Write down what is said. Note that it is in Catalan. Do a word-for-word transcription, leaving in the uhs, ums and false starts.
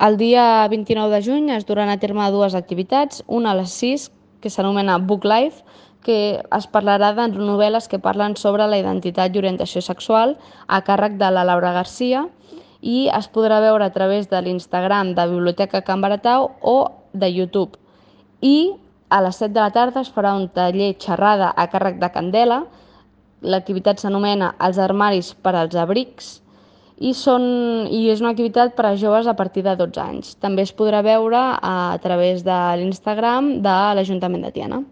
El dia vint-i-nou de juny es duran a terme dues activitats, una a les sis, que s'anomena Book Life, que es parlarà de novel·les que parlen sobre la identitat i orientació sexual a càrrec de la Laura Garcia i es podrà veure a través de l'Instagram de Biblioteca Can Baratau o de YouTube. I a les set de la tarda es farà un taller xerrada a càrrec de Candela. L'activitat s'anomena Els armaris per als abrics i, són, i és una activitat per a joves a partir de dotze anys. També es podrà veure a través de l'Instagram de l'Ajuntament de Tiana.